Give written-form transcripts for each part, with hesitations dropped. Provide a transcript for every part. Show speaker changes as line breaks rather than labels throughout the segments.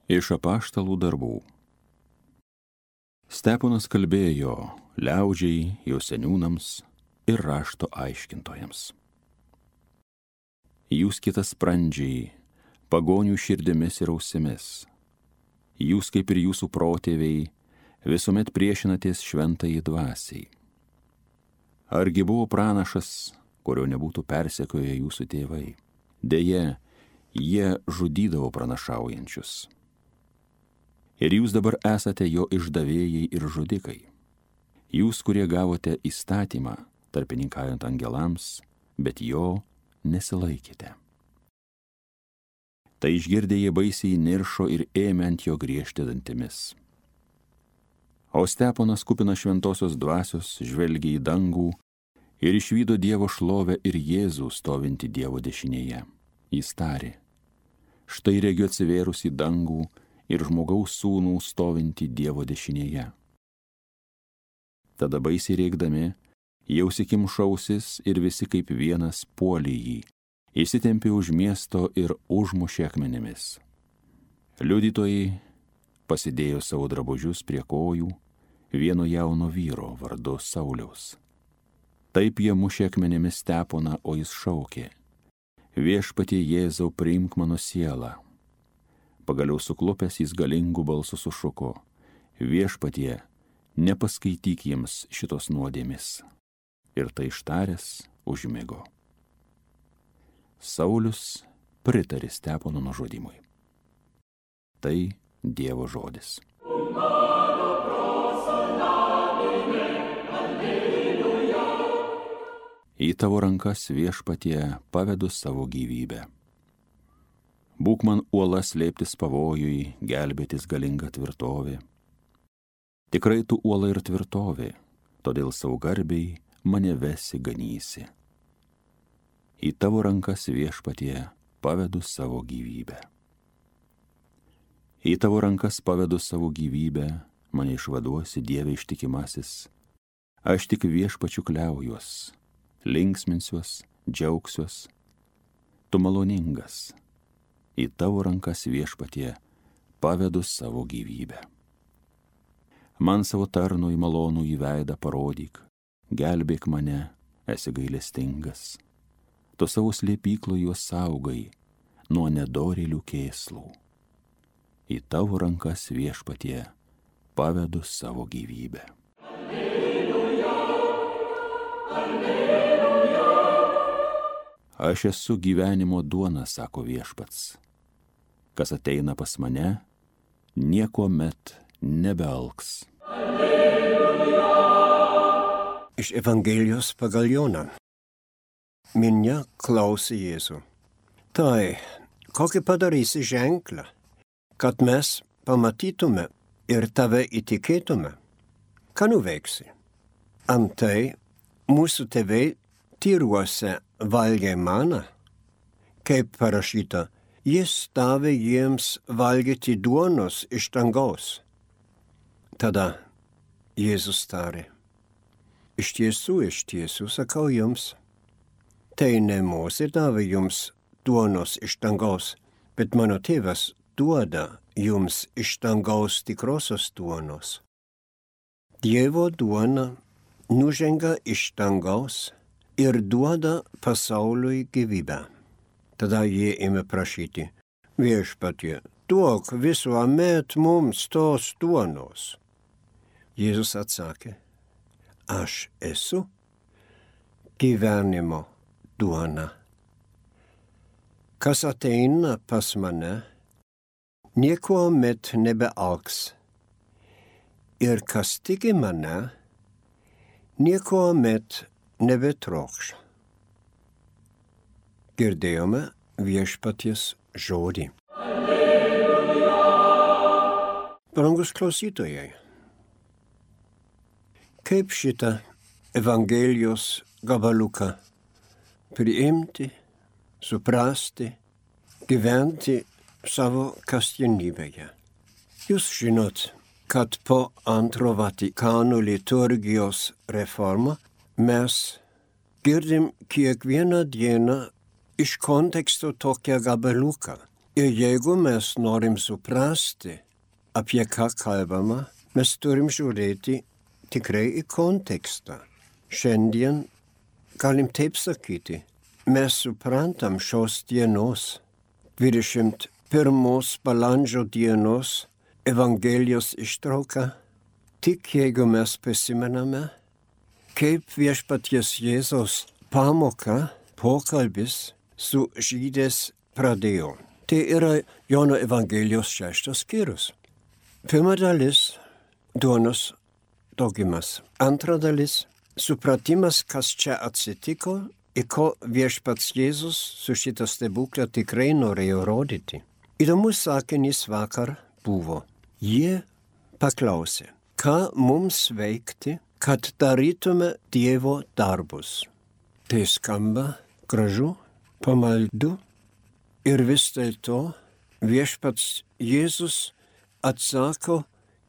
Iš apaštalų darbų. Steponas kalbėjo liaudžiai, jo seniūnams ir rašto aiškintojams. Jūs kitas sprandžiai, pagonių širdimis ir ausimis. Jūs kaip ir jūsų protėviai visuomet priešinatės šventajai dvasiai. Argi buvo pranašas, kurio nebūtų persekioję jūsų tėvai? Deja, jie žudydavo pranašaujančius. Ir jūs dabar esate jo išdavėjai ir žudikai. Jūs, kurie gavote įstatymą, tarpininkaujant angelams, bet jo nesilaikėte. Tai išgirdę jie baisiai niršo ir ėmė ant jo griežti dantimis. O Steponas kupinas šventosios dvasios žvelgė į dangų ir išvydo Dievo šlovę ir Jėzų stovintį Dievo dešinėje. Jis tarė: štai regiu atsivėrus į dangų ir žmogaus sūnų stovintį Dievo dešinėje. Tada baisiai rėkdami, jie užsikimšo ausis ir visi kaip vienas puolė jį, įsitempė už miesto ir užmušė akmenimis. Liudytojai pasidėjo savo drabužius prie kojų vieno jauno vyro vardu Sauliaus. Taip jie mušė akmenimis Steponą, o jis šaukė: Viešpatie Jėzau, priimk mano sielą. Pagaliau suklupęs jis galingų balsų sušuko: Viešpatie, nepaskaityk jiems šitos nuodėmės. Ir tai ištaręs užmigo. Saulius pritarė Stepono nužudymui. Tai Dievo žodis. Į tavo rankas, Viešpatie, pavedu savo gyvybę. Būk man uola slėptis pavojui, gelbėtis galinga tvirtovė. Tikrai tu uola ir tvirtovė, todėl savo garbiai mane vesi ganysi. Į tavo rankas, Viešpatie, pavedu savo gyvybę. Į tavo rankas pavedu savo gyvybę, mane išvaduosi, Dieve ištikimasis. Aš tik Viešpačiu kliaujuos, linksminsiuos, džiaugsiuos. Tu maloningas. Į tavo rankas, Viešpatie, pavedu savo gyvybę. Man savo tarnui malonų į veidą parodyk, gelbėk mane, esi gailestingas. Tu savo slėpyklų juos saugai nuo nedorėlių kėslų. Į tavo rankas, Viešpatie, pavedu savo gyvybę. Alleluja, alleluja. Aš esu gyvenimo duona, sako Viešpats. Kas ateina pas mane, niekuomet nebealks. Alleluja.
Iš Evangelijos pagal Joną. Minia klausė Jėzų: Tai, kokį padarysi ženklą, kad mes pamatytume ir tave įtikėtume? Ką nuveiksi? Antai mūsų tėvai tyruose valgė maną, kaip parašyta, jis davė jiems valgyti duonos iš dangaus. Tada Jėzus tarė: iš tiesų, sakau jums, tai ne Mozė davė jums duonos iš dangaus, bet mano tėvas duoda jums iš dangaus tikrosios duonos. Dievo duona nužengia iš dangaus ir duoda pasauliui gyvybę. Tada jie ėmė prašyti: Viešpatie, duok visuomet mums tos duonos. Jėzus atsakė: Aš esu gyvenimo duona. Kas ateina pas mane, niekuomet nebealks. Ir kas tiki mane, niekuomet nebetrokš. Girdėjome Viešpaties žodį. Alleluja. Brangus klausytojai, kaip šitą Evangelijos gabaliuką priimti, suprasti, gyventi savo kasdienybėje? Jūs žinot, kad po antro Vatikano liturgijos reformą mes girdim kiekvieną dieną iš konteksto tokią gabaliuką, Ir jeigu mes norim suprasti, apie ką kalbama, mes turim žiūrėti tikrai į kontekstą. Šiandien galim taip sakyti, mes suprantam šios dienos, 21 balandžio dienos Evangelijos ištrauką, tik jeigu mes prisimename, kaip viešpaties Jėzaus pamoka, pokalbis su žydais pradėjo. Tai yra Jono Evangelijos 6 skyrius. Pirma dalis – duonos daugimas. Antra dalis – supratimas, kas čia atsitiko ir ko viešpats Jėzus su šitą stebuklą tikrai norėjo rodyti. Įdomus sakinys vakar buvo. Jie paklausė, ką mums veikti, kad darytume Dievo darbus. Tai skamba gražu, pamaldu ir vis dėlto viešpats Jėzus atsako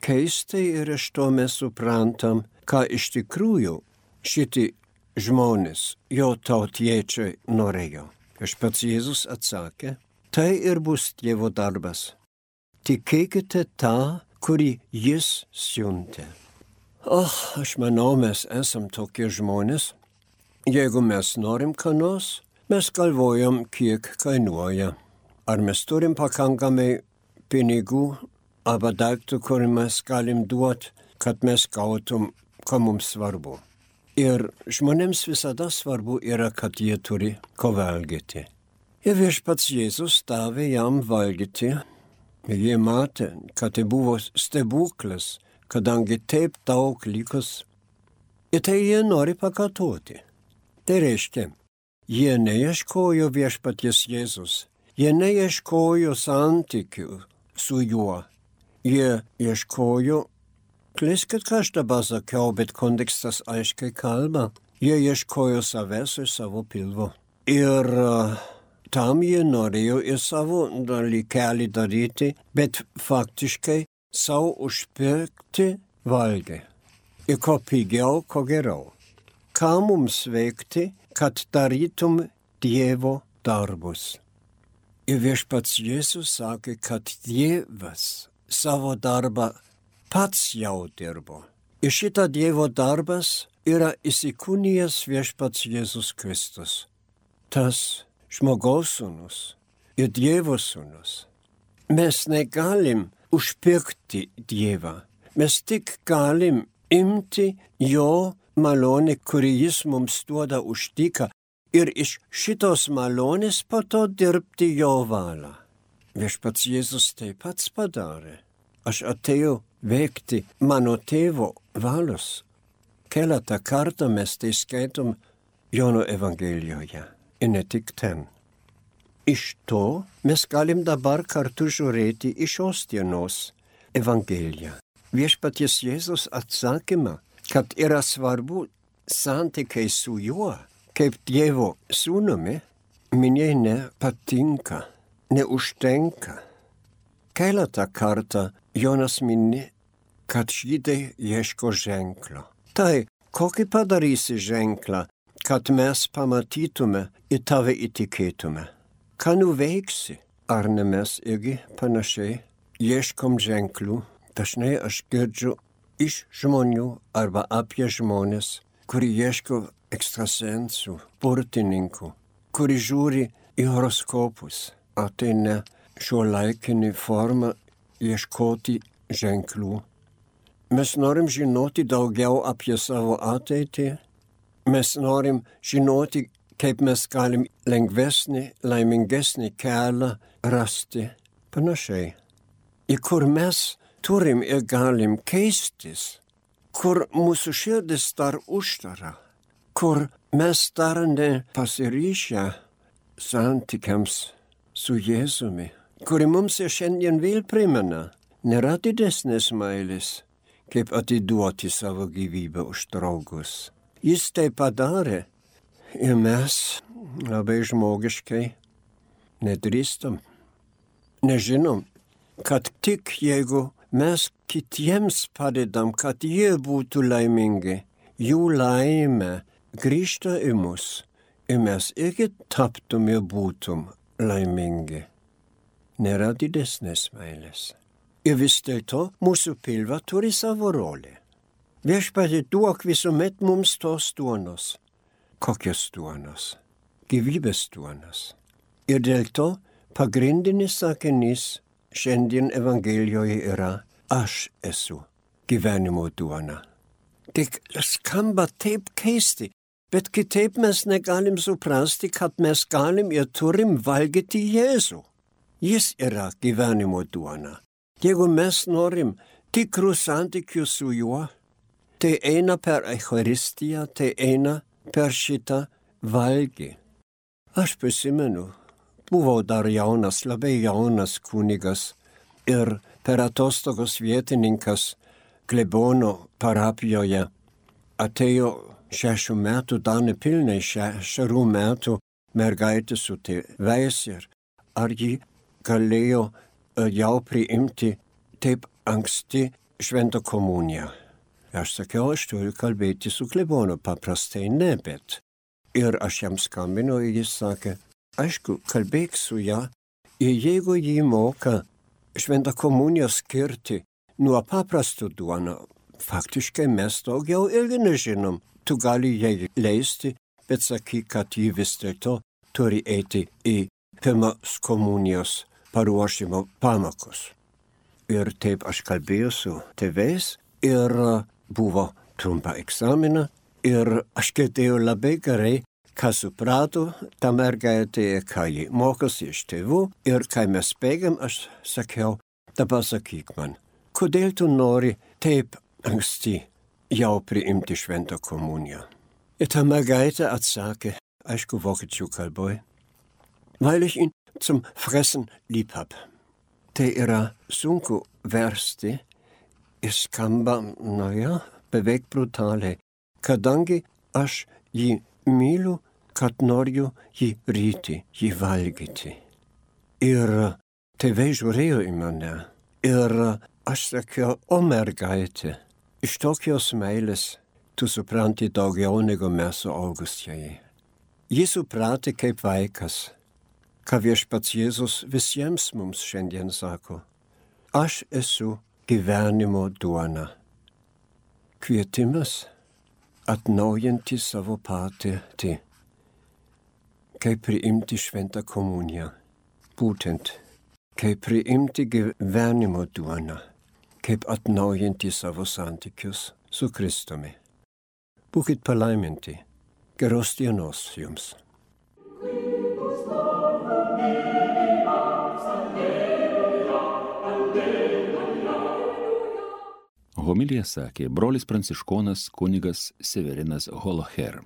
keistai ir iš to mes suprantam, ką iš tikrųjų šitie žmonės, jo tautiečiai norėjo. Viešpats Jėzus atsakė, tai ir bus Dievo darbas. Tikėkite tą, kurį jis siuntė. Aš manau, mes esam tokie žmonės. Jeigu mes norim ką nors, mes galvojam, kiek kainuoja. Ar mes turim pakankamai pinigų arba daiktų, kurį mes galim duoti, kad mes gautum, ko mums svarbu. Ir žmonėms visada svarbu yra, kad jie turi ko valgyti. Ir viešpats Jėzus davė jam valgyti. Jie matė, kad tai buvo stebuklas, kadangi taip daug likus. Ir tai jie nori pakartoti. Tai reiškia, jie neieškojo viešpaties Jėzus. Jie neieškojo santykių su juo. Jie ieškojo, kleiskit, ką aš dabar sakiau, bet kontekstas aiškiai kalba. Jie ieškojo savęs ir savo pilvo. Ir tam jie norėjo ir savo dalykelį daryti, bet faktiškai savo užpirkti valgį. Ir ko pigiau, ko geriau. Ką mums veikti, kad darytum Dievo darbus. Ir viešpats Jėzus sakė, kad Dievas savo darbą pats jau dirbo. Ir šitą Dievo darbas yra įsikūnijęs viešpats Jėzus Kristus. Tas žmogaus sūnus ir Dievo sūnus. Mes negalim užpirkti Dievą. Mes tik galim imti jo malonę, kurį jis mums duoda už dyką ir iš šitos malonės po to dirbti jo valią. Viešpats Jėzus taip pats padarė. Aš atėjau veikti mano tėvo valios. Keletą kartą mes tai skaitom Jono Evangelijoje. Ir ne tik ten. Iš to mes galim dabar kartu žiūrėti į šios dienos Evangeliją. Viešpaties Jėzus atsakymą, kad yra svarbu santykiai su juo, kaip Dievo sūnumi, minė nepatinka, neužtenka. Keletą kartą Jonas mini, kad žydai ieško ženklo. Tai, kokį padarysi ženklą, kad mes pamatytume ir tave įtikėtume. Ką nuveiksi? Ar ne mes irgi panašiai ieškom ženklų? Dažnai aš girdžiu iš žmonių arba apie žmonės, kurie ieško ekstrasensų, burtininkų, kurie žiūri į horoskopus. Ar tai ne šiuolaikinė forma ieškoti ženklų? Mes norim žinoti daugiau apie savo ateitį. Mes norim žinoti, kaip mes galim lengvesnį, laimingesnį kelią rasti. Panašiai. Ir kur mes turim ir galim keistis, kur mūsų širdis dar uždara, kur mes dar nepasiryšę santykiams su Jėzumi, kuri mums ir šiandien vėl primena, nėra didesnės meilės, kaip atiduoti savo gyvybę už draugus. Jis tai padarė ir mes labai žmogiškai nedrįstam. Nežinom, kad tik jeigu mes kitiems padedam, kad jie būtų laimingi, jų laimė grįžta į mus ir mes irgi taptum ir būtum laimingi. nėra didesnės meilės. Ir vis dėlto mūsų pilva turi savo rolę. Viešpatie, duok visuomet mums tos duonos. Kokios duonos? Gyvybės duonos. Ir dėl to pagrindinis sakinys šiandien Evangelijoje yra aš esu gyvenimo duona. Tik skamba taip keisti, bet kitaip mes negalim suprasti, kad mes galim ir turim valgyti Jėzų. Jis yra gyvenimo duona. Jeigu mes norim tikrų santykių su juo, tai eina per Eucharistiją, tai eina per šitą valgį. Aš prisimenu, buvau dar jaunas, labai jaunas kunigas ir per atostogos vietininkas klebono parapijoje atėjo 6 metų, dar nepilnai 6 metų mergaitė su tėvais ir ar ji galėjo jau priimti taip anksti šventą komuniją. Aš sakiau, aš turiu kalbėti su klebonu, paprastai ne, bet. Ir aš jam skambinu ir jis sakė, aišku, kalbėk su ją ir jeigu jį moka šventą komuniją skirti nuo paprastų duoną, faktiškai mes daugiau irgi nežinom. Tu gali jai leisti, bet sakyk, kad jį vis dėlto turi eiti į pirmos komunijos paruošimo pamokas. Ir taip aš kalbėjau su tėvais ir buvo trumpa egzamina ir aš girdėjau labai gerai, ką suprato ta mergaitė ir ką ji mokosi iš tėvų. Ir kai mes bėgėm, aš sakiau, dabar sakyk man, kodėl tu nori taip anksti jau priimti šventą komuniją? Ir ta mergaitė atsakė, aišku, vokiečių kalboj, weil ich ihn zum Fressen lieb hab. Tai yra sunku versti ir skamba, beveik brutaliai, kadangi aš jį myliu, kad noriu jį ryti, jį valgyti. Ir tėvai žiūrėjo į mane ir aš sakiau, o mergaitė, iš tokios meilės tu supranti daugiau negu mes suaugusieji. Ji supratė kaip vaikas, ką viešpats Jėzus visiems mums šiandien sako. Aš esu gyvenimo duona. Kvietimas atnaujinti savo patirtį, kaip priimti šventą komuniją. Būtent, kaip priimti gyvenimo duoną, kaip atnaujinti savo santykius su Kristumi. Būkit palaiminti. Geros dienos jums.
Homiliją sakė brolis pranciškonas kunigas Severinas Holoher.